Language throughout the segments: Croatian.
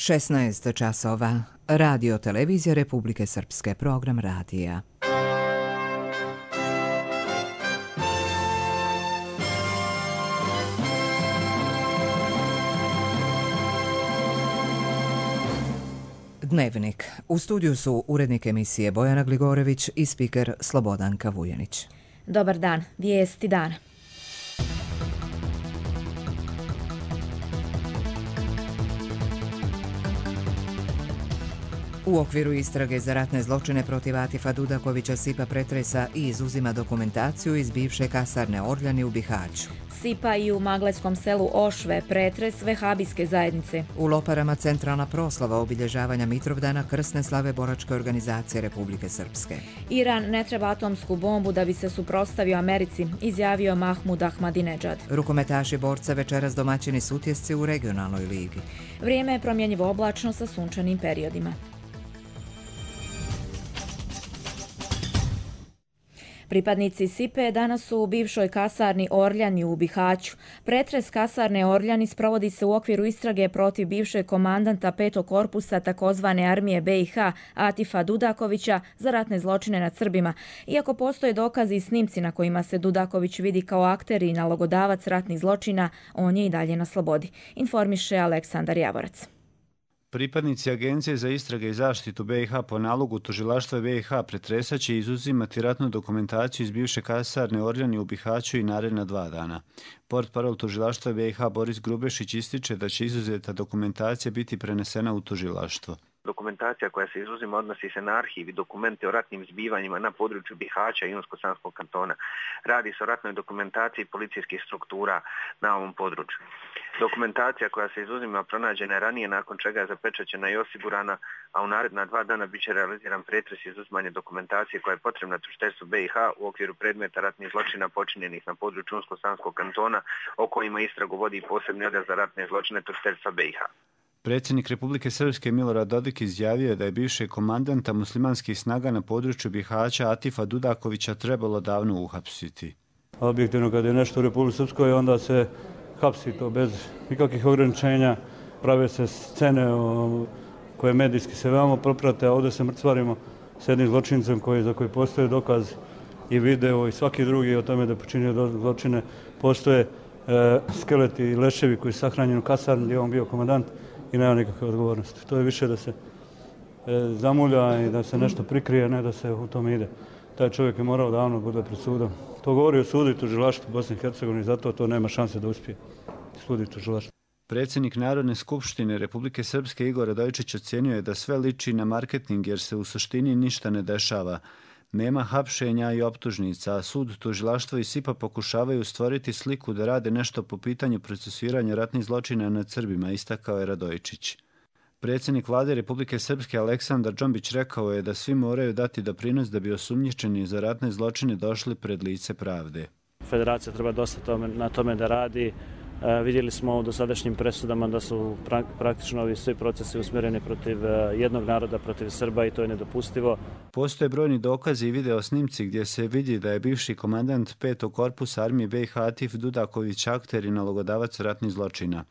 16 časova. Radio Televizija Republike Srpske, program radija. Dnevnik. U studiju su urednik emisije Bojana Gligorević i spiker Slobodanka Vujanić. Dobar dan, vijesti dana. U okviru istrage za ratne zločine protiv Atifa Dudakovića SIPA pretresa i izuzima dokumentaciju iz bivše kasarne Orljani u Bihaću. SIPA i u maglajskom selu Ošve pretres vehabijske zajednice. U Loparama centralna proslava obilježavanja Mitrovdana krsne slave boračke organizacije Republike Srpske. Iran ne treba atomsku bombu da bi se suprotstavio Americi, izjavio Mahmud Ahmadinejad. Rukometaši borca večeras domaćini Sutjesci u regionalnoj ligi. Vrijeme je promjenjivo oblačno sa sunčanim periodima. Pripadnici SIPE danas su u bivšoj kasarni Orljani u Bihaću. Pretres kasarne Orljani sprovodi se u okviru istrage protiv bivšeg komandanta 5. korpusa takozvane armije BiH Atifa Dudakovića za ratne zločine nad Srbima. Iako postoje dokazi i snimci na kojima se Dudaković vidi kao akter i nalogodavac ratnih zločina, on je i dalje na slobodi, informiše Aleksandar Javorac. Pripadnici Agencije za istrage i zaštitu BiH po nalogu tužilaštva BiH pretresat će izuzimati ratnu dokumentaciju iz bivše kasarne Orljani u Bihaću i naredna 2 dana. Portparol tužilaštva BiH Boris Grubešić ističe da će izuzeta dokumentacija biti prenesena u tužilaštvo. Dokumentacija koja se izuzima odnosi se na arhiv i dokumente o ratnim zbivanjima na području Bihaća i Unsko-Sanskog kantona. Radi se o ratnoj dokumentaciji policijskih struktura na ovom području. Dokumentacija koja se izuzima pronađena je ranije, nakon čega je zapečaćena i osigurana, a u naredna 2 dana bit će realiziran pretres i izuzimanje dokumentacije koja je potrebna tužiteljstvu BiH u okviru predmeta ratnih zločina počinjenih na području Unsko-Sanskog kantona, o kojima istragu vodi posebni odjel za ratne zločine tužiteljstva BiH. Predsjednik Republike Srpske Milorad Dodik izjavio je da je bivšeg komandanta muslimanskih snaga na području Bihaća Atifa Dudakovića trebalo davno uhapsiti. Objektivno kad je nešto u Republike Srpskoj onda se hapsi to bez nikakvih ograničenja, prave se scene koje medijski se veoma proprate, a ovdje se mrcvarimo s jednim zločincem za koji postoje dokaz i video i svaki drugi o tome da je počinio zločine. Postoje skeleti i leševi koji su sahranjeni u kasarni gdje je on bio komandant i nema nikakve odgovornosti. To je više da se zamulja i da se nešto prikrije, ne da se u tome ide. Taj čovjek je morao davno bude pred sudom. To govori o sudu i tužilaštvu Bosne i Hercegovine, zato to nema šanse da uspije. Sud i tužilaštvo. Predsjednik Narodne skupštine Republike Srpske Igor Radojičić ocjenio je da sve liči na marketing jer se u suštini ništa ne dešava. Nema hapšenja i optužnica, a sud, tužilaštvo i SIPA pokušavaju stvoriti sliku da rade nešto po pitanju procesuiranja ratnih zločina nad Srbima, istakao je Radojičić. Predsjednik vlade Republike Srpske Aleksandar Džombić rekao je da svi moraju dati doprinos da bi osumnjičeni za ratne zločine došli pred lice pravde. Federacija treba dosta na tome da radi. Vidjeli smo u dosadašnjim presudama da su praktično ovi svi procesi usmjereni protiv jednog naroda, protiv Srba i to je nedopustivo. Postoje brojni dokazi i video snimci gdje se vidi da je bivši komandant 5. korpusa armije BiH Atif Dudaković akter i nalogodavac ratnih zločina.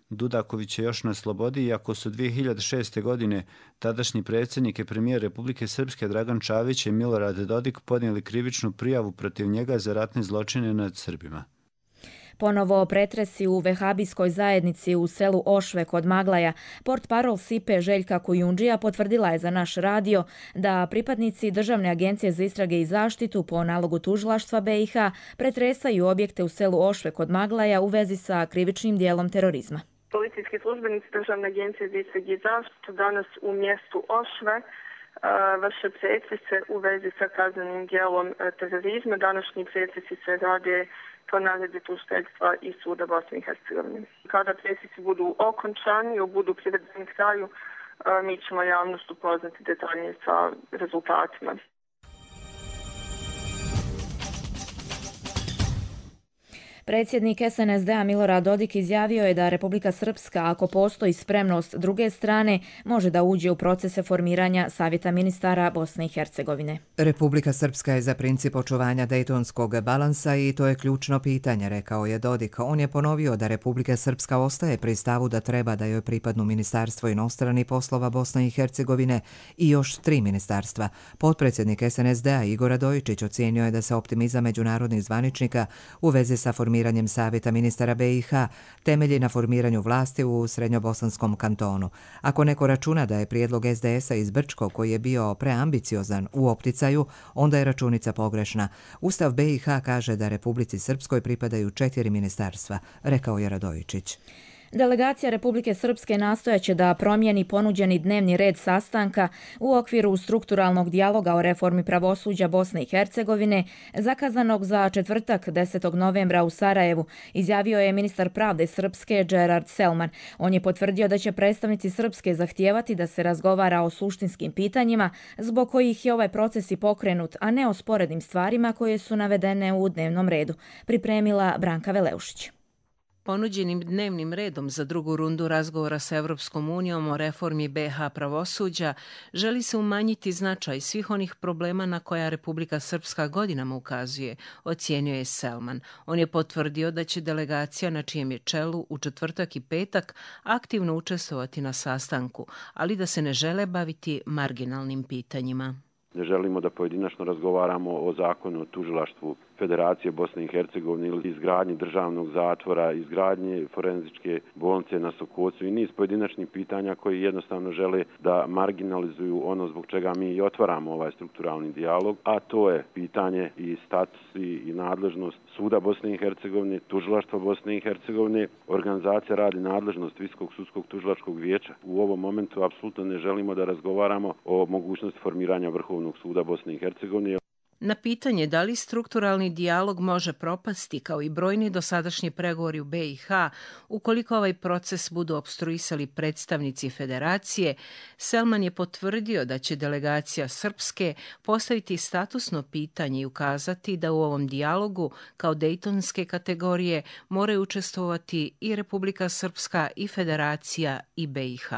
Dudaković je još na slobodi, iako su 2006. godine tadašnji predsjednik i premijer Republike Srpske Dragan Čavić i Milorad Dodik podnijeli krivičnu prijavu protiv njega za ratne zločine nad Srbima. Ponovo pretresi u vehabijskoj zajednici u selu Ošve kod Maglaja. Portparol SIPE Željka Kujundžija potvrdila je za naš radio da pripadnici Državne agencije za istrage i zaštitu po nalogu tužilaštva BiH pretresaju objekte u selu Ošve kod Maglaja u vezi sa krivičnim dijelom terorizma. Policijski službenici Državne agencije za istrage i zaštitu danas u mjestu Ošve vrše pretrese u vezi sa kaznenim dijelom terorizma. Današnji pretresi se rade po naredbi tužiteljstva i suda Bosne i Hercegovine. Kada pretresi budu okončani i budu privedeni kraju, mi ćemo javnost upoznati detaljnije sa rezultatima. Predsjednik SNSD-a Milorad Dodik izjavio je da Republika Srpska, ako postoji spremnost druge strane, može da uđe u procese formiranja Savjeta ministara Bosne i Hercegovine. Republika Srpska je za princip očuvanja dejtonskog balansa i to je ključno pitanje, rekao je Dodik. On je ponovio da Republika Srpska ostaje pri stavu da treba da joj pripadnu Ministarstvo inostranih poslova Bosne i Hercegovine i još 3 ministarstva. Potpredsjednik SNSD-a Igor Radojičić ocijenio je da se optimizam međunarodnih zvaničnika u vezi sa formiranjem Savjeta ministara BiH temelji na formiranju vlasti u Srednjobosanskom kantonu. Ako neko računa da je prijedlog SDS-a iz Brčko, koji je bio preambiciozan, u opticaju, onda je računica pogrešna. Ustav BiH kaže da Republici Srpskoj pripadaju 4 ministarstva, rekao je Radojičić. Delegacija Republike Srpske nastojaće da promijeni ponuđeni dnevni red sastanka u okviru strukturalnog dijaloga o reformi pravosuđa Bosne i Hercegovine, zakazanog za četvrtak 10. novembra u Sarajevu, izjavio je ministar pravde Srpske Gerard Selman. On je potvrdio da će predstavnici Srpske zahtijevati da se razgovara o suštinskim pitanjima zbog kojih je ovaj proces i pokrenut, a ne o sporednim stvarima koje su navedene u dnevnom redu, pripremila Branka Veleušić. Ponuđenim dnevnim redom za drugu rundu razgovora sa Evropskom unijom o reformi BiH pravosuđa želi se umanjiti značaj svih onih problema na koja Republika Srpska godinama ukazuje, ocijenio je Selman. On je potvrdio da će delegacija na čijem je čelu u četvrtak i petak aktivno učestvovati na sastanku, ali da se ne žele baviti marginalnim pitanjima. Ne želimo da pojedinačno razgovaramo o zakonu o tužilaštvu Federacije Bosne i Hercegovine ili izgradnji državnog zatvora, izgradnje forenzičke bolnice na Sokocu i niz pojedinačnih pitanja koji jednostavno žele da marginalizuju ono zbog čega mi i otvaramo ovaj strukturalni dijalog, a to je pitanje i status i nadležnost Suda Bosne i Hercegovine, Tužilaštva Bosne i Hercegovine, organizacija radi nadležnost Visokog sudskog tužilačkog vijeća. U ovom momentu apsolutno ne želimo da razgovaramo o mogućnosti formiranja Vrhovnog suda Bosne i Hercegovine. Na pitanje da li strukturalni dijalog može propasti kao i brojni dosadašnji pregovori u BiH ukoliko ovaj proces budu opstruisali predstavnici Federacije, Selman je potvrdio da će delegacija Srpske postaviti statusno pitanje i ukazati da u ovom dijalogu kao dejtonske kategorije moraju učestvovati i Republika Srpska i Federacija i BiH.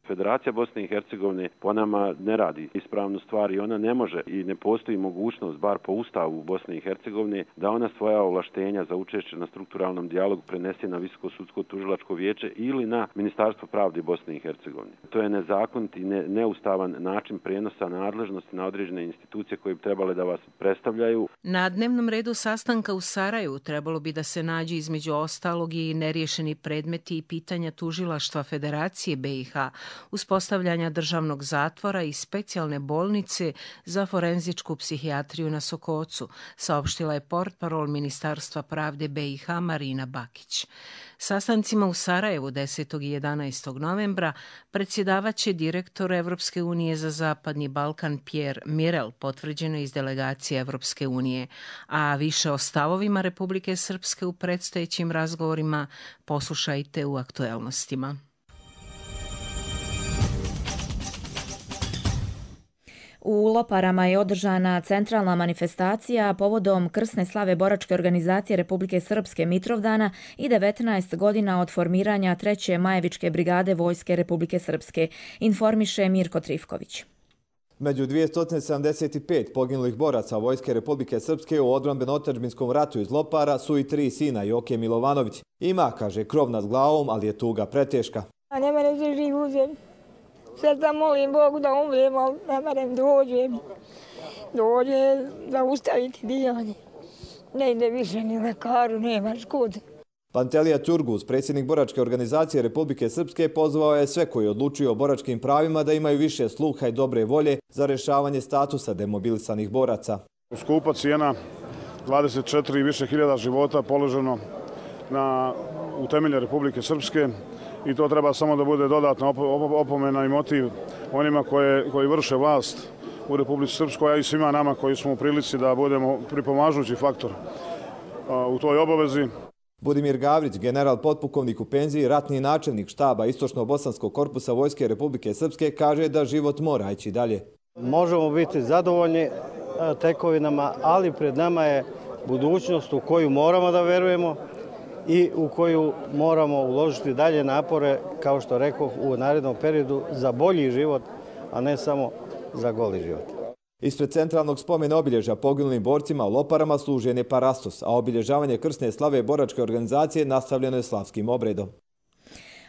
Federacija Bosne i Hercegovine po nama ne radi ispravnu stvar i ona ne može i ne postoji mogućnost, bar po Ustavu Bosne i Hercegovine, da ona svoja ovlaštenja za učešće na strukturalnom dijalogu prenese na Visoko sudsko tužilačko vijeće ili na Ministarstvo pravde Bosne i Hercegovine. To je nezakonit i neustavan način prijenosa nadležnosti na određene institucije koje bi trebale da vas predstavljaju. Na dnevnom redu sastanka u Sarajevu trebalo bi da se nađe između ostalog i neriješeni predmeti i pitanja tužilaštva Federacije BiH, uspostavljanja državnog zatvora i specijalne bolnice za forenzičku psihijatriju na Sokocu, saopštila je portparol Ministarstva pravde BiH Marina Bakić. Sastancima u Sarajevu 10. i 11. novembra predsjedavaće direktor Evropske unije za Zapadni Balkan Pierre Mirel, potvrđeno iz delegacije Evropske unije, a više o stavovima Republike Srpske u predstojećim razgovorima poslušajte u aktuelnostima. U Loparama je održana centralna manifestacija povodom krsne slave boračke organizacije Republike Srpske Mitrovdana i 19 godina od formiranja 3. Majevičke brigade Vojske Republike Srpske, informiše Mirko Trifković. Među 275 poginulih boraca Vojske Republike Srpske u odbrambeno-otadžbinskom ratu iz Lopara su i 3 sina Joke Milovanović. Ima, kaže, krov nad glavom, ali je tuga preteška. A ne mene se živ uzem. Sad da molim Bogu da umrem, ali ne merem dođe zaustaviti dijanje. Ne ide više ni lekaru, nemaš kud. Pantelija Ćurguz, predsjednik boračke organizacije Republike Srpske, pozvao je sve koji odlučuju o boračkim pravima da imaju više sluha i dobre volje za rješavanje statusa demobilisanih boraca. Skupa cijena 24 i više hiljada života položeno u temelje Republike Srpske i to treba samo da bude dodatna opomena i motiv onima koji vrše vlast u Republici Srpskoj, a i svima nama koji smo u prilici da budemo pripomažući faktor u toj obavezi. Budimir Gavrić, general potpukovnik u penziji, ratni načelnik štaba Istočno-Bosanskog korpusa Vojske Republike Srpske, kaže da život mora ići dalje. Možemo biti zadovoljni tekovinama, ali pred nama je budućnost u koju moramo da verujemo i u koju moramo uložiti dalje napore, kao što rekoh, u narednom periodu za bolji život, a ne samo za goli život. Ispred centralnog spomena obilježja poginulim borcima u Loparama služen je parastos, a obilježavanje krsne slave boračke organizacije nastavljeno je slavskim obredom.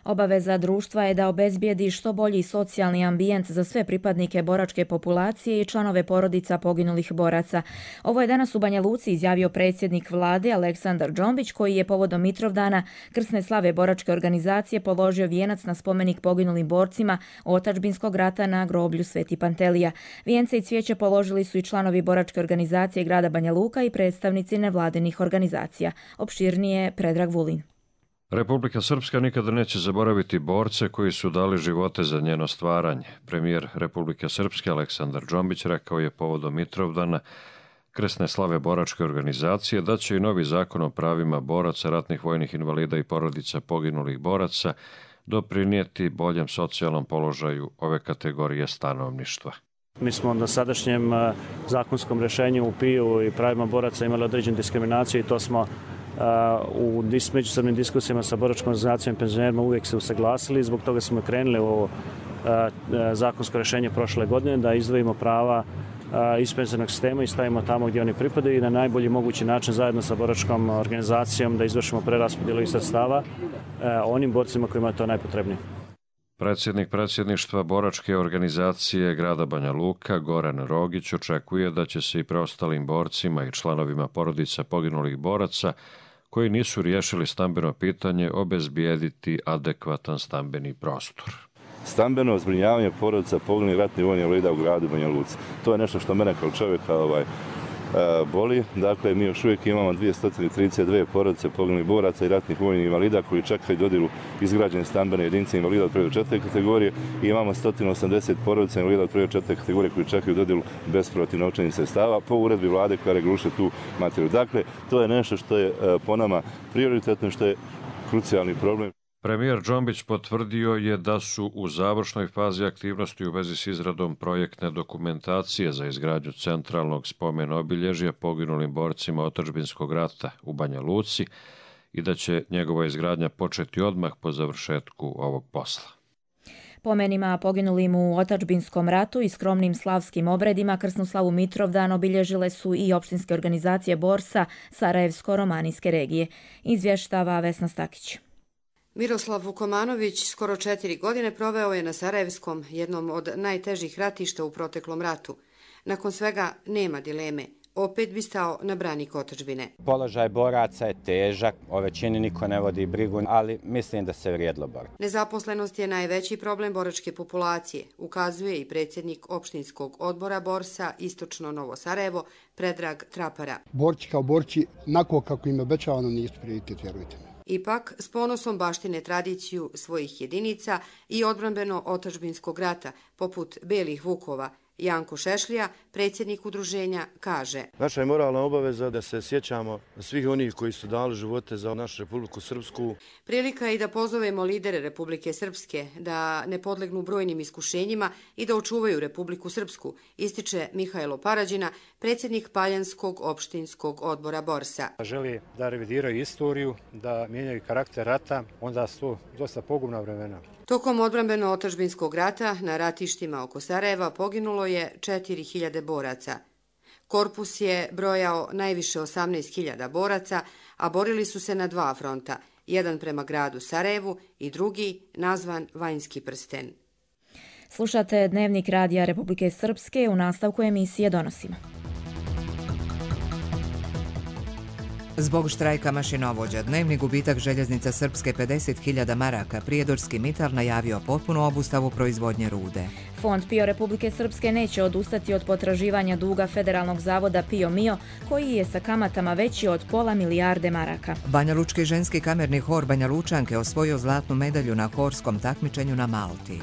Obaveza društva je da obezbijedi što bolji socijalni ambijent za sve pripadnike boračke populacije i članove porodica poginulih boraca. Ovo je danas u Banja Luci izjavio predsjednik vlade Aleksandar Džombić, koji je povodom Mitrovdana krsne slave boračke organizacije položio vijenac na spomenik poginulim borcima otadžbinskog rata na groblju Sveti Pantelija. Vijence i cvijeće položili su i članovi boračke organizacije grada Banja Luka i predstavnici nevladinih organizacija. Opširnije Predrag Vulin. Republika Srpska nikada neće zaboraviti borce koji su dali živote za njeno stvaranje. Premijer Republike Srpske Aleksandar Džombić rekao je povodom Mitrovdana krsne slave boračke organizacije da će i novi zakon o pravima boraca, ratnih vojnih invalida i porodica poginulih boraca doprinijeti boljem socijalnom položaju ove kategorije stanovništva. Mi smo na sadašnjem zakonskom rješenju u PIU i pravima boraca imali određenu diskriminaciju i to smo u međusobnim diskusijama sa boračkom organizacijom i penzionerima uvijek se usaglasili. Zbog toga smo krenuli u ovo zakonsko rješenje prošle godine da izdvojimo prava iz penzionernog sistema i stavimo tamo gdje oni pripadaju i na najbolji mogući način zajedno sa boračkom organizacijom da izvršimo preraspodjelu sredstava onim borcima kojima je to najpotrebnije. Predsjednik predsjedništva boračke organizacije grada Banja Luka Goran Rogić očekuje da će se i preostalim borcima i članovima porodica poginulih boraca koji nisu riješili stambeno pitanje obezbijediti adekvatan stambeni prostor. Stambeno zbrinjavanje porodica poginulih ratnih vojnih invalida u gradu Banja Luci. To je nešto što mene kao čovjeka boli. Dakle, mi još uvijek imamo 232 porodice poginulih boraca i ratnih vojnih invalida koji čekaju dodjelu izgrađene stambene jedinice invalida od 1. do 4. kategorije i imamo 180 porodica invalida od 1. do 4. kategorije koji čekaju dodjelu bespovratnih novčanih sredstava po uredbi vlade koja reguliše tu materiju. Dakle, to je nešto što je po nama prioritetno, što je krucijalni problem. Premijer Džombić potvrdio je da su u završnoj fazi aktivnosti u vezi s izradom projektne dokumentacije za izgradnju centralnog spomena obilježja poginulim borcima otadžbinskog rata u Banja Luci i da će njegova izgradnja početi odmah po završetku ovog posla. Pomenima poginulim u otadžbinskom ratu i skromnim slavskim obredima krsnu slavu Mitrovdan obilježile su i opštinske organizacije borsa Sarajevsko-Romanijske regije. Izvještava Vesna Stakić. Miroslav Vukomanović skoro 4 godine proveo je na Sarajevskom, jednom od najtežih ratišta u proteklom ratu. Nakon svega nema dileme. Opet bi stao na branik otadžbine. Položaj boraca je težak, o većini niko ne vodi brigu, ali mislim da se vrijedilo boriti. Nezaposlenost je najveći problem boračke populacije, ukazuje i predsjednik opštinskog odbora borsa Istočno Novo Sarajevo, Predrag Trapara. Borci kao borci, onako kako im je obećavano, nisu prioritet, vjerujte mi. Ipak, s ponosom baštine tradiciju svojih jedinica i odbranbeno otadžbinskog rata, poput Belih Vukova, Janko Šešlija, predsjednik udruženja, kaže: Naša je moralna obaveza da se sjećamo svih onih koji su dali živote za našu Republiku Srpsku. Prilika je i da pozovemo lidere Republike Srpske da ne podlegnu brojnim iskušenjima i da očuvaju Republiku Srpsku, ističe Mihajlo Parađina, predsjednik Paljanskog opštinskog odbora borsa. Želi da revidiraju istoriju, da mijenjaju karakter rata, onda su to dosta pogubna vremena. Tokom odbrambeno otadžbinskog rata na ratištima oko Sarajeva poginulo je 4000 boraca. Korpus je brojao najviše 18.000 boraca, a borili su se na 2 fronta, jedan prema gradu Sarajevu i drugi nazvan Vanjski prsten. Slušate Dnevnik radija Republike Srpske, u nastavku emisije donosimo. Zbog štrajka mašinovođa, dnevni gubitak željeznica Srpske 50.000 maraka, prijedorski Mital najavio potpunu obustavu proizvodnje rude. Fond PIO Republike Srpske neće odustati od potraživanja duga Federalnog zavoda PIO Mio, koji je sa kamatama veći od pola milijarde maraka. Banjalučki ženski kamerni hor Banja Lučanke osvojio zlatnu medalju na horskom takmičenju na Malti.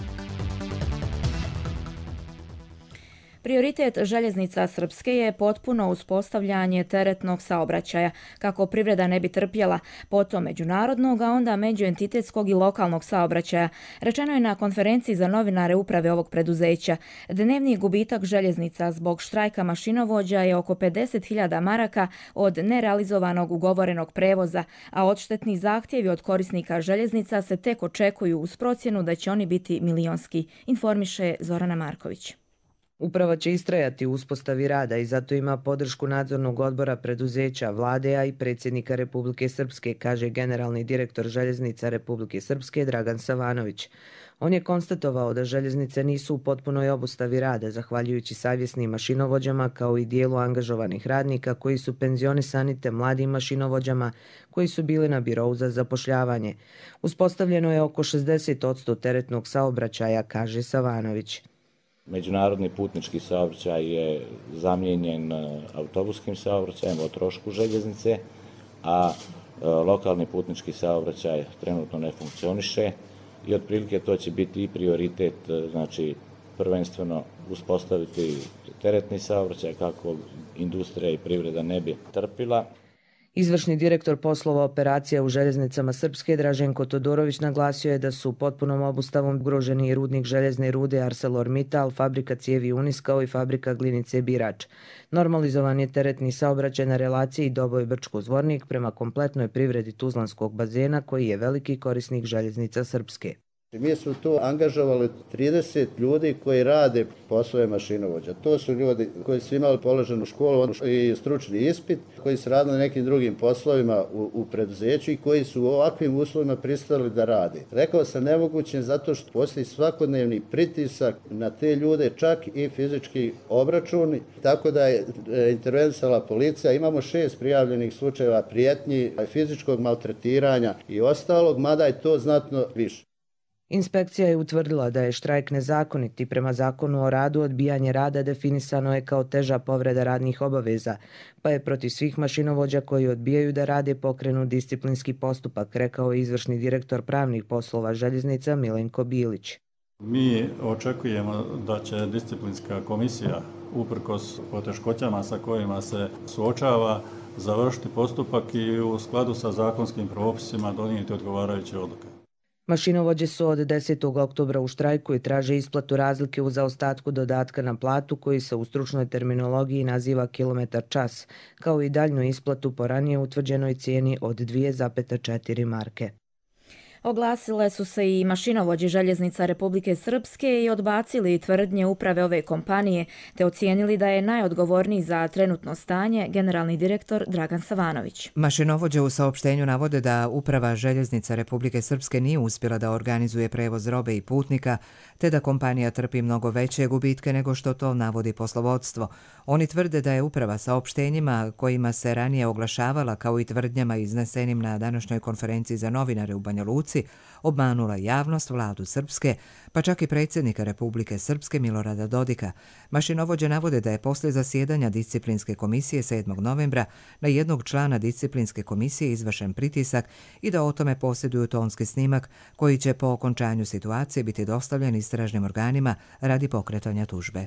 Prioritet željeznica Srpske je potpuno uspostavljanje teretnog saobraćaja, kako privreda ne bi trpjela, potom međunarodnog, a onda međuentitetskog i lokalnog saobraćaja, rečeno je na konferenciji za novinare uprave ovog preduzeća. Dnevni gubitak željeznica zbog štrajka mašinovođa je oko 50.000 maraka od nerealizovanog ugovorenog prevoza, a odštetni zahtjevi od korisnika željeznica se tek očekuju uz procjenu da će oni biti milionski, informiše Zorana Marković. Uprava će istrajati u uspostavi rada i zato ima podršku nadzornog odbora preduzeća, vlade, a i predsjednika Republike Srpske, kaže generalni direktor željeznica Republike Srpske Dragan Savanović. On je konstatovao da željeznice nisu u potpunoj obustavi rada, zahvaljujući savjesnim mašinovođama kao i dijelu angažovanih radnika koji su penzionisani te mladim mašinovođama koji su bili na birou za zapošljavanje. Uspostavljeno je oko 60% teretnog saobraćaja, kaže Savanović. Međunarodni putnički saobraćaj je zamijenjen autobuskim saobraćajem o trošku željeznice, a lokalni putnički saobraćaj trenutno ne funkcioniše i otprilike to će biti i prioritet, znači prvenstveno uspostaviti teretni saobraćaj kako industrija i privreda ne bi trpila. Izvršni direktor poslova operacija u željeznicama Srpske Draženko Todorović naglasio je da su potpunom obustavom ugroženi i rudnik željezne rude ArcelorMittal, fabrika cijevi Unis kao i fabrika glinice Birač. Normalizovan je teretni saobraćaj na relaciji Doboj-Brčko-Zvornik prema kompletnoj privredi Tuzlanskog bazena koji je veliki korisnik željeznica Srpske. Mi smo tu angažovali 30 ljudi koji rade poslove mašinovođa. To su ljudi koji su imali položenu školu i stručni ispit, koji su radili na nekim drugim poslovima u preduzeću i koji su u ovakvim uslovima pristali da rade. Rekao sam nemoguće zato što postoji svakodnevni pritisak na te ljude, čak i fizički obračuni, tako da je intervenisala policija. Imamo 6 prijavljenih slučajeva prijetnji, fizičkog maltretiranja i ostalog, mada je to znatno više. Inspekcija je utvrdila da je štrajk nezakonit i prema zakonu o radu odbijanje rada definisano je kao teža povreda radnih obaveza, pa je protiv svih mašinovođa koji odbijaju da rade pokrenut disciplinski postupak, rekao je izvršni direktor pravnih poslova željeznica Milenko Bilić. Mi očekujemo da će disciplinska komisija, uprkos poteškoćama sa kojima se suočava, završiti postupak i u skladu sa zakonskim propisima donijeti odgovarajuće odluke. Mašinovođe su od 10. oktobra u štrajku i traže isplatu razlike u zaostatku dodatka na platu koji se u stručnoj terminologiji naziva kilometar čas, kao i daljnju isplatu po ranije utvrđenoj cijeni od 2,4 marke. Oglasile su se i mašinovođe željeznica Republike Srpske i odbacili tvrdnje uprave ove kompanije, te ocijenili da je najodgovorniji za trenutno stanje generalni direktor Dragan Savanović. Mašinovođe u saopštenju navode da uprava željeznica Republike Srpske nije uspjela da organizuje prevoz robe i putnika, te da kompanija trpi mnogo veće gubitke nego što to navodi poslovodstvo. Oni tvrde da je uprava saopštenjima kojima se ranije oglašavala kao i tvrdnjama iznesenim na današnjoj konferenciji za novinare u Banja Luci obmanula javnost, vladu Srpske, pa čak i predsjednika Republike Srpske Milorada Dodika. Mašinovođe navode da je poslije zasjedanja disciplinske komisije 7. novembra na jednog člana disciplinske komisije izvršen pritisak i da o tome posjeduju tonski snimak koji će po okončanju situacije biti dostavljen istražnim organima radi pokretanja tužbe.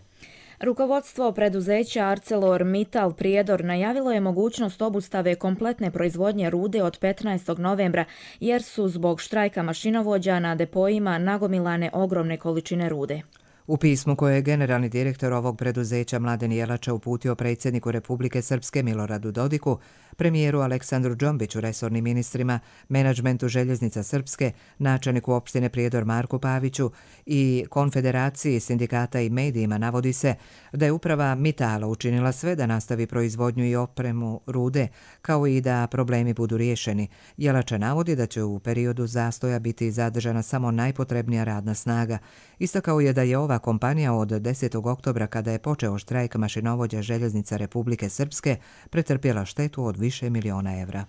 Rukovodstvo preduzeća ArcelorMittal Prijedor najavilo je mogućnost obustave kompletne proizvodnje rude od 15. novembra jer su zbog štrajka mašinovođa na depojima nagomilane ogromne količine rude. U pismu koje je generalni direktor ovog preduzeća Mladen Jelača uputio predsjedniku Republike Srpske Miloradu Dodiku, premijeru Aleksandru Džombiću, resornim ministrima, menadžmentu željeznica Srpske, načelniku opštine Prijedor Marku Paviću i Konfederaciji sindikata i medijima navodi se da je uprava Mitala učinila sve da nastavi proizvodnju i opremu rude, kao i da problemi budu riješeni. Jelača navodi da će u periodu zastoja biti zadržana samo najpotrebnija radna snaga. Istakao je da je ova kompanija od 10. oktobra, kada je počeo štrajk mašinovođa željeznica Republike Srpske, pretrpjela štetu od više miliona evra.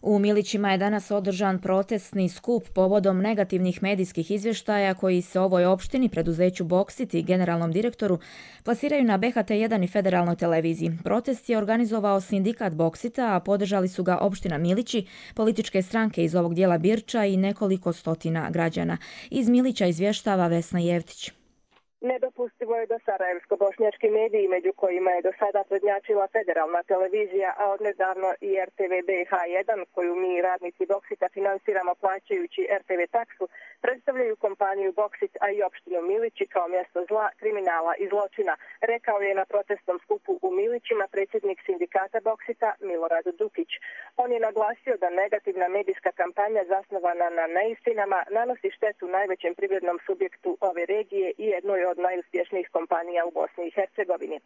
U Milićima je danas održan protestni skup povodom negativnih medijskih izvještaja koji se ovoj opštini, preduzeću Boksit i generalnom direktoru plasiraju na BHT1 i federalnoj televiziji. Protest je organizovao sindikat Boksita, a podržali su ga opština Milići, političke stranke iz ovog dijela Birča i nekoliko stotina građana. Iz Milića izvještava Vesna Jevtić. Nedopustivo je da sarajevsko-bošnjački mediji, među kojima je do sada prednjačila federalna televizija, a odnedavno i RTV BiH1, koju mi radnici Boksita finansiramo plaćajući RTV taksu, predstavljaju kompaniju Boksit, a i opštinu Milići kao mjesto zla, kriminala i zločina, rekao je na protestnom skupu u Milićima predsjednik sindikata Boksita Milorad Dukić. On je naglasio da negativna medijska kampanja zasnovana na neistinama nanosi štetu najvećem privrednom subjektu ove regije i jednoj od najuspješnijih kompanija u Bosni i Hercegovini.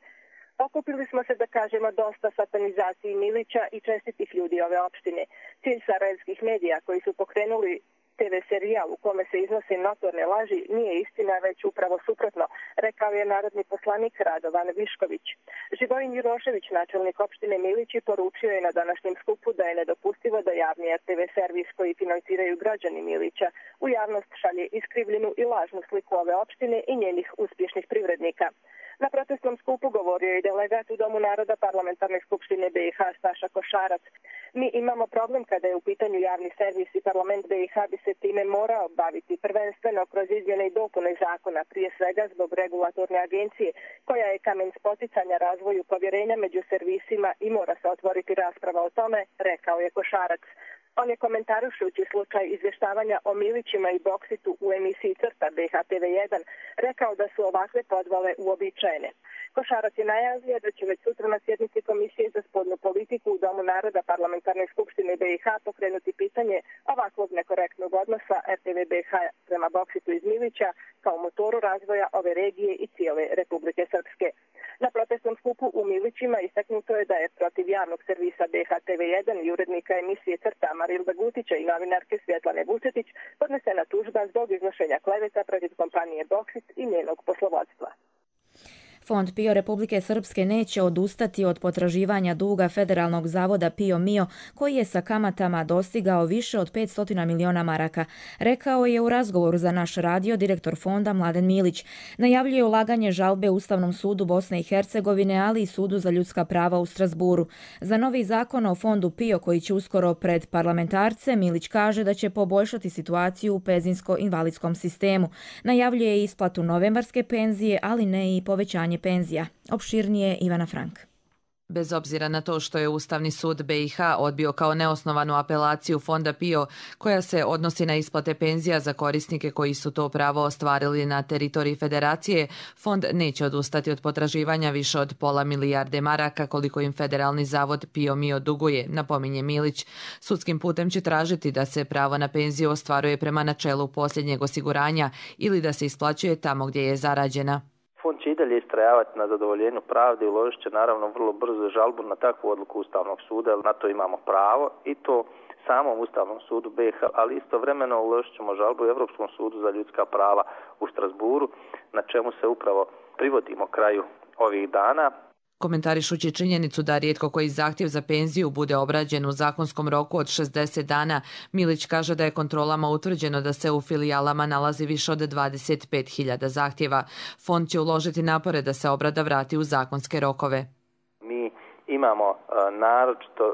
Okupili smo se da kažemo dosta satanizaciji Milića i čestitih ljudi ove opštine. Cilj sarajevskih medija koji su pokrenuli TV serijal u kome se iznose notorne laži nije istina, već upravo suprotno, rekao je narodni poslanik Radovan Višković. Živojin Jurošević, načelnik opštine Milići, poručio je na današnjem skupu da je nedopustivo da javni RTV servis koji finansiraju građani Milića u javnost šalje iskrivljenu i lažnu sliku ove opštine i njenih uspješnih privrednika. Na protestnom skupu govorio je delegat u Domu naroda Parlamentarne skupštine BiH Staša Košarac. Mi imamo problem kada je u pitanju javni servis i parlament BiH bi se time morao baviti prvenstveno kroz izmjene i dopune zakona, prije svega zbog regulatorne agencije, koja je kamen spoticanja razvoju povjerenja među servisima i mora se otvoriti rasprava o tome, rekao je Košarac. On je komentarušujući slučaj izvještavanja o Milićima i Boksitu u emisiji Crta BHTV1 rekao da su ovakve podvale uobičajene. Košarac je najavio da će već sutra na sjednici Komisije za spoljnu politiku u Domu naroda Parlamentarne skupštine BiH pokrenuti pitanje ovakvog nekorektnog odnosa RTV BiH prema Boksitu iz Milića kao motoru razvoja ove regije i cijele Republike Srpske. Na protestnom skupu u Milićima istaknuto je da je protiv javnog servisa BHTV1 i urednika emisije Crta Marilda Gutića i novinarke Svjetlane Vučetić podnesena tužba zbog iznošenja kleveta protiv kompanije Boksit i njenog poslovodstva. Fond PIO Republike Srpske neće odustati od potraživanja duga Federalnog zavoda PIO Mio, koji je sa kamatama dostigao više od 500 miliona maraka, rekao je u razgovoru za naš radio direktor fonda Mladen Milić. Najavljuje ulaganje žalbe Ustavnom sudu Bosne i Hercegovine, ali i Sudu za ljudska prava u Strasburu. Za novi zakon o fondu PIO koji će uskoro pred parlamentarce, Milić kaže da će poboljšati situaciju u penzijsko-invalidskom sistemu. Najavljuje isplatu novembarske penzije, ali ne i povećanje penzija. Opširnije Ivana Frank. Bez obzira na to što je Ustavni sud BiH odbio kao neosnovanu apelaciju fonda PIO koja se odnosi na isplate penzija za korisnike koji su to pravo ostvarili na teritoriji federacije, fond neće odustati od potraživanja više od £500 milijarde maraka koliko im Federalni zavod PIO Mio duguje, napominje Milić. Sudskim putem će tražiti da se pravo na penziju ostvaruje prema načelu posljednjeg osiguranja ili da se isplaćuje tamo gdje je zarađena. Fond će i dalje istrajavati na zadovoljenju pravde i uložit će naravno vrlo brzo žalbu na takvu odluku Ustavnog suda, na to imamo pravo i to samom Ustavnom sudu BiH, ali istovremeno uložit ćemo žalbu u Europskom sudu za ljudska prava u Strasburu, na čemu se upravo privodimo kraju ovih dana. Komentarišući činjenicu da rijetko koji zahtjev za penziju bude obrađen u zakonskom roku od 60 dana, Milić kaže da je kontrolama utvrđeno da se u filijalama nalazi više od 25.000 zahtjeva. Fond će uložiti napore da se obrada vrati u zakonske rokove. Mi imamo naročito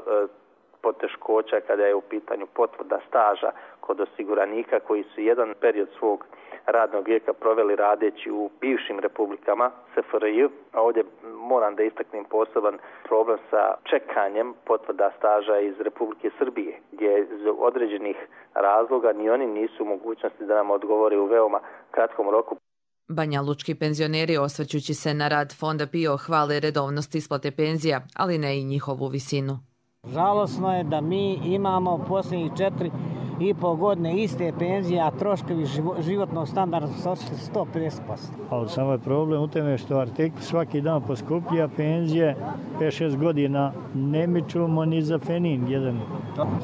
poteškoća kada je u pitanju potvrda staža kod osiguranika koji su jedan period svog radnog vijeka proveli radeći u bivšim republikama SFRJ, a ovdje moram da istaknem poseban problem sa čekanjem potvrda staža iz Republike Srbije, gdje iz određenih razloga ni oni nisu u mogućnosti da nam odgovore u veoma kratkom roku. Banjalučki penzioneri, osvrćući se na rad fonda PIO, hvale redovnost isplate penzija, ali ne i njihovu visinu. Žalosno je da mi imamo posljednjih 4,5 godine iste penzije, a troškovi životnog standarda su otišli 150%. Ali samo je problem u tome što artikl svaki dan poskuplja, penzije 5-6 godina ne mičemo ni za fenin jedan.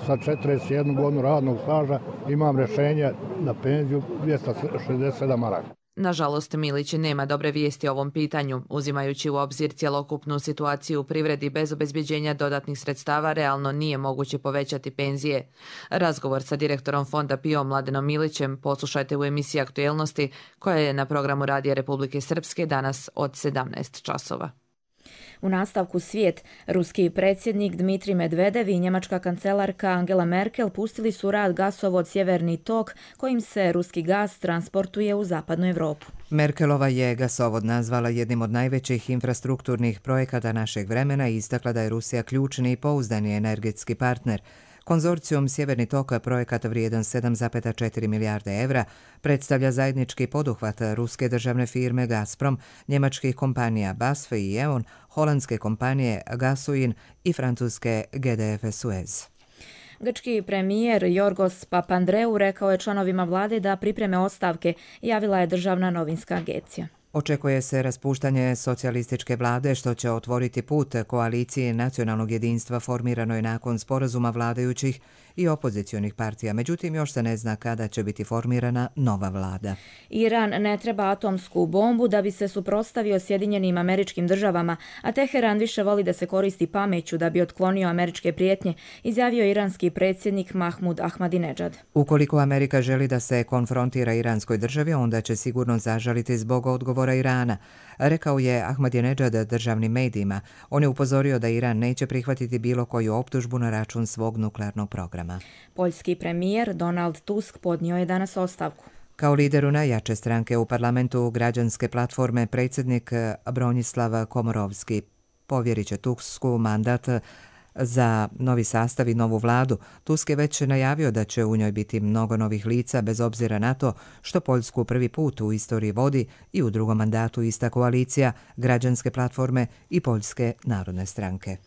Sa 41 godinu radnog staža imam rješenje na penziju 267 maraka. Nažalost, Milić nema dobre vijesti o ovom pitanju. Uzimajući u obzir cjelokupnu situaciju u privredi bez obezbeđenja dodatnih sredstava, realno nije moguće povećati penzije. Razgovor sa direktorom fonda PIO Mladenom Milićem poslušajte u emisiji Aktuelnosti koja je na programu Radija Republike Srpske danas od 17 časova. U nastavku svijet, ruski predsjednik Dmitrij Medvedev i njemačka kancelarka Angela Merkel pustili su rad gasovod Sjeverni tok kojim se ruski gas transportuje u zapadnu Europu. Merkelova je gasovod nazvala jednim od najvećih infrastrukturnih projekata našeg vremena i istakla da je Rusija ključni i pouzdani energetski partner. Konzorcijum Sjeverni tok, projekat vrijedan 7,4 milijarde evra, predstavlja zajednički poduhvat ruske državne firme Gazprom, njemačkih kompanija BASF i E.ON, holandske kompanije Gasuin i francuske GDF Suez. Grčki premijer Jorgos Papandreou rekao je članovima vlade da pripreme ostavke, javila je državna novinska agencija. Očekuje se raspuštanje socijalističke vlade što će otvoriti put koaliciji nacionalnog jedinstva formiranoj nakon sporazuma vladajućih i opozicionih partija. Međutim, još se ne zna kada će biti formirana nova vlada. Iran ne treba atomsku bombu da bi se suprotstavio Sjedinjenim Američkim Državama, a Teheran više voli da se koristi pameću da bi otklonio američke prijetnje, izjavio iranski predsjednik Mahmud Ahmadinejad. Ukoliko Amerika želi da se konfrontira iranskoj državi, onda će sigurno zažaliti zbog odgovora Irana, rekao je Ahmadinejad državnim medijima. On je upozorio da Iran neće prihvatiti bilo koju optužbu na račun svog nuklearnog programa. Poljski premijer Donald Tusk podnio je danas ostavku. Kao lideru najjače stranke u parlamentu građanske platforme, predsjednik Bronislav Komorovski povjerit će Tusku mandat za novi sastav i novu vladu. Tusk je već najavio da će u njoj biti mnogo novih lica bez obzira na to što Poljsku prvi put u istoriji vodi i u drugom mandatu ista koalicija građanske platforme i Poljske narodne stranke.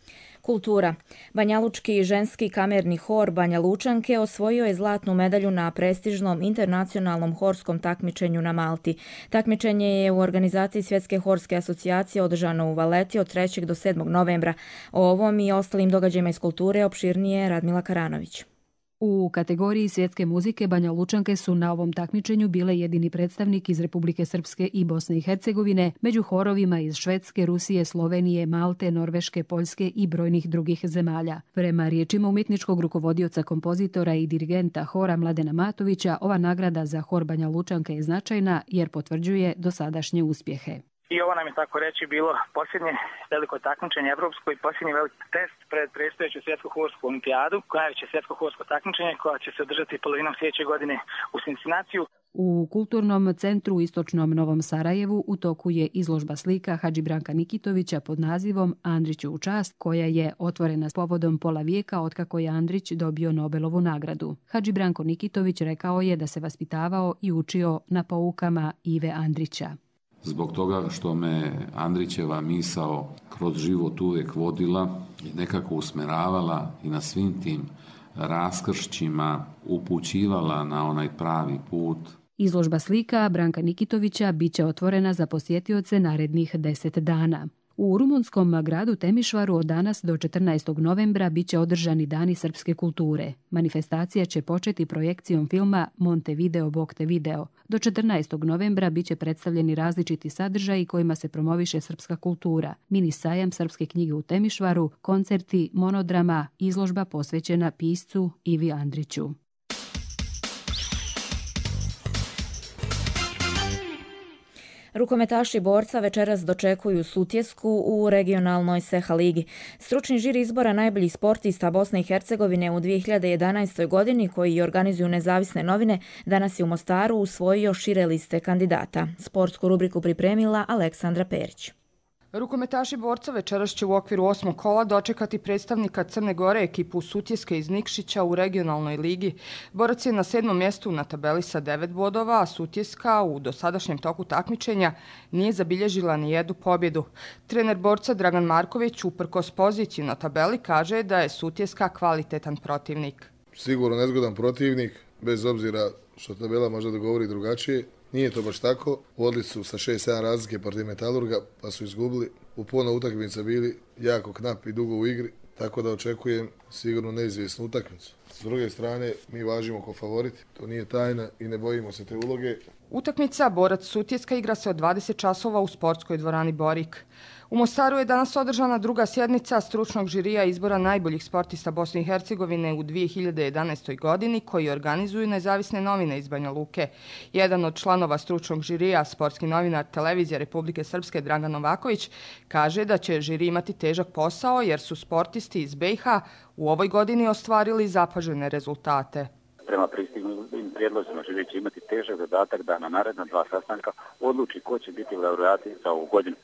Kultura. Banjalučki ženski kamerni hor Banja Lučanke osvojio je zlatnu medalju na prestižnom internacionalnom horskom takmičenju na Malti. Takmičenje je u organizaciji Svjetske horske asocijacije održano u Valeti od 3. do 7. novembra. O ovom i ostalim događajima iz kulture opširnije Radmila Karanović. U kategoriji svjetske muzike Banja Lučanke su na ovom takmičenju bile jedini predstavnik iz Republike Srpske i Bosne i Hercegovine, među horovima iz Švedske, Rusije, Slovenije, Malte, Norveške, Poljske i brojnih drugih zemalja. Prema riječima umjetničkog rukovodioca, kompozitora i dirigenta hora Mladena Matovića, ova nagrada za hor Banja Lučanke je značajna jer potvrđuje dosadašnje uspjehe. I ovo nam je tako reći bilo posljednje veliko takmičenje evropsko i posljednji veliki test pred predstojeću svjetsku horsku olimpijadu, najveće svjetsko horsko takmičenje koja će se održati polovinom sljedeće godine u Cincinatiju. U Kulturnom centru u istočnom Novom Sarajevu u toku je izložba slika Hadži Branka Nikitovića pod nazivom Andriću u čast, koja je otvorena s povodom pola vijeka otkako je Andrić dobio Nobelovu nagradu. Hadži Branko Nikitović rekao je da se vaspitavao i učio na poukama Ive Andrića. Zbog toga što me Andrićeva misao kroz život uvijek vodila i nekako usmeravala i na svim tim raskršćima upućivala na onaj pravi put. Izložba slika Branka Nikitovića bit će otvorena za posjetioce narednih 10 dana. U rumunskom gradu Temišvaru od danas do 14. novembra bit će održani dani srpske kulture. Manifestacija će početi projekcijom filma Montevideo Bog te video. Do 14. novembra bit će predstavljeni različiti sadržaji kojima se promoviše srpska kultura. Mini sajam srpske knjige u Temišvaru, koncerti, monodrama, izložba posvećena piscu Ivi Andriću. Rukometaši Borca večeras dočekuju Sutjesku u regionalnoj Seha ligi. Stručni žiri izbora najboljih sportista Bosne i Hercegovine u 2011. godini, koji organizuju nezavisne novine, danas je u Mostaru usvojio šire liste kandidata. Sportsku rubriku pripremila Aleksandra Perić. Rukometaši Borca večeras će u okviru 8. kola dočekati predstavnika Crne Gore, ekipu Sutjeske iz Nikšića u regionalnoj ligi. Borac je na 7. mjestu na tabeli sa 9 bodova, a Sutjeska u dosadašnjem toku takmičenja nije zabilježila ni jednu pobjedu. Trener Borca Dragan Marković uprkos poziciju na tabeli kaže da je Sutjeska kvalitetan protivnik. Sigurno nezgodan protivnik, bez obzira što tabela može da govori drugačije. Nije to baš tako. Vodili su sa 6-7 razlike protiv Metalurga, pa su izgubili. U puno utakmica bili jako knap i dugo u igri, tako da očekujem sigurno neizvjesnu utakmicu. S druge strane, mi važimo ko favoriti. To nije tajna i ne bojimo se te uloge. Utakmica Borac Sutjeska igra se od 20 časova u sportskoj dvorani Borik. U Mostaru je danas održana druga sjednica stručnog žirija izbora najboljih sportista Bosne i Hercegovine u 2011. godini koji organizuju nezavisne novine iz Banja Luke. Jedan od članova stručnog žirija, sportski novinar Televizije Republike Srpske Dragan Novaković, kaže da će žiri imati težak posao jer su sportisti iz BiH u ovoj godini ostvarili zapažene rezultate. Prema pristignutim prijedlozima žiri će imati težak zadatak da na naredna 2 sastanka odluči ko će biti laureati za ovu godinu.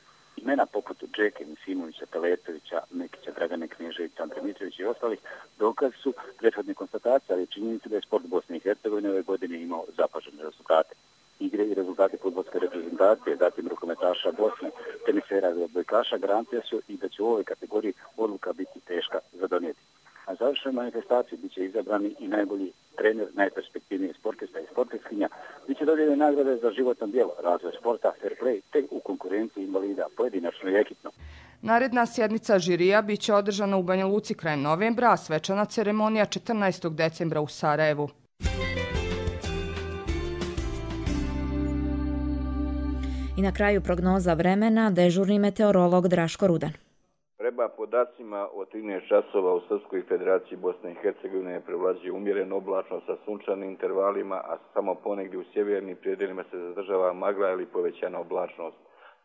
Imena poput Džeke, Misimovića, Teletovića, Mekića, Dragane Kneževića, Andre Mitrovića i ostalih dokaz su prethodne konstatacije, ali činjenica da je sport Bosne i Hercegovine ove godine imao zapažene rezultate. Igre i rezultate fudbalske reprezentacije, zatim rukometaša Bosne, tenisera i odbojkaša garancija su i da će u ovoj kategoriji odluka biti teška za donijeti. Na završnoj manifestaciji biće izabrani i najbolji trener, najperspektivniji sportista i sportistkinja, biće dodijeljene nagrade za životno djelo, razvoj sporta, fair play, te u konkurenciji invalida, pojedinačno i ekipno. Naredna sjednica žirija biće održana u Banja Luci krajem novembra, a svečana ceremonija 14. decembra u Sarajevu. I na kraju prognoza vremena, dežurni meteorolog Draško Rudan. Prema podacima od 13 časova u Srpskoj federaciji Bosne i Hercegovine prevlađuje umjereno oblačno sa sunčanim intervalima, a samo ponegdje u sjevernim predjelima se zadržava magla ili povećana oblačnost.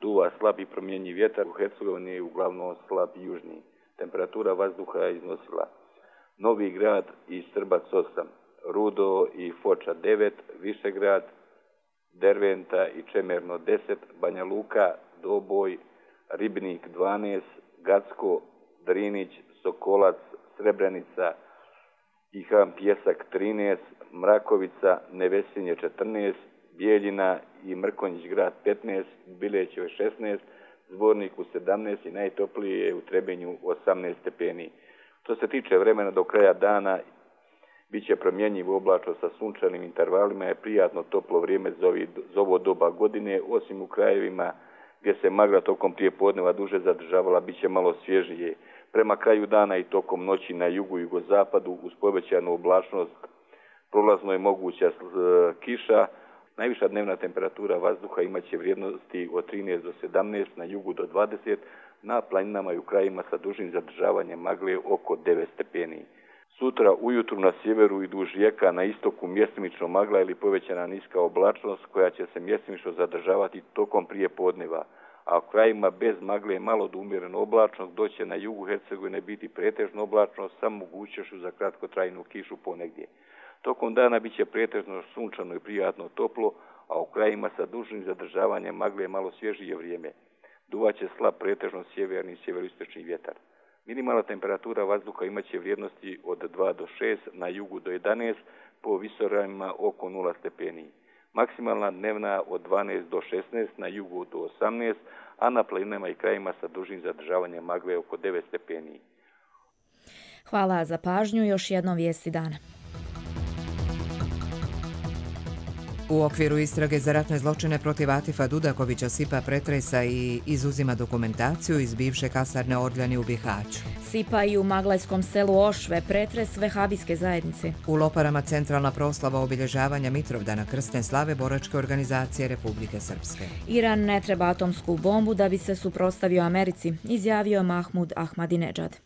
Duva slab i promjenjiv vjetar, u Hercegovini je uglavnom slab i južni. Temperatura vazduha je iznosila Novi Grad i Strbac 8, Rudo i Foča 9, Višegrad, Derventa i Čemerno 10, Banja Luka, Doboj, Ribnik 12, Gacko, Drinić, Sokolac, Srebrenica i Ham Pjesak 13, Mrakovica, Nevesinje 14, Bijeljina i Mrkonjić grad 15, Bilećevo 16, Zvorniku 17 i najtoplije je u Trebinju 18 stepeni. Što se tiče vremena do kraja dana, bit će promjenjivo oblačno sa sunčanim intervalima, je prijatno toplo vrijeme za ovo doba godine, osim u krajevima gdje se magla tokom prijepodneva duže zadržavala, bit će malo svježije. Prema kraju dana i tokom noći na jugu i jugozapadu uz povećanu oblačnost prolazno je moguća kiša. Najviša dnevna temperatura vazduha imaće vrijednosti od 13 do 17, na jugu do 20, na planinama i u krajima sa dužim zadržavanjem magle oko 9 stepeni. Sutra ujutru na sjeveru i duž rijeka na istoku mjestimično magla ili povećana niska oblačnost koja će se mjestimično zadržavati tokom prijepodneva, a u krajima bez magle malo do umjereno oblačnost, doće na jugu Hercegovine biti pretežno oblačnost sa mogućnošću za kratkotrajnu kišu ponegdje. Tokom dana bit će pretežno sunčano i prijatno toplo, a u krajima sa dužnim zadržavanjem magle malo svježije vrijeme. Duvaće slab pretežno sjeverni i sjeveroistočni vjetar. Minimalna temperatura vazduha imaće vrijednosti od 2 do 6, na jugu do 11, po visoravnima oko 0 stepeni. Maksimalna dnevna od 12 do 16, na jugu do 18, a na planinama i krajima sa dužim zadržavanjem magle oko 9 stepeni. Hvala za pažnju, još jednom vijesti dana. U okviru istrage za ratne zločine protiv Atifa Dudakovića SIPA pretresa i izuzima dokumentaciju iz bivše kasarne Orljani u Bihaću. SIPA i u maglajskom selu Ošve pretres vehabijske zajednice. U Loparama centralna proslava obilježavanja Mitrovdana krsne slave boračke organizacije Republike Srpske. Iran ne treba atomsku bombu da bi se suprotstavio Americi, izjavio Mahmud Ahmadinejad.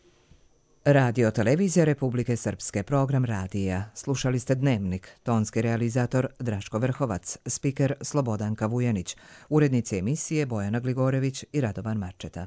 Radio Televizija Republike Srpske, program radija. Slušali ste Dnevnik, tonski realizator Draško Vrhovac, spiker Slobodanka Vujanić, urednici emisije Bojana Gligorević i Radovan Marčeta.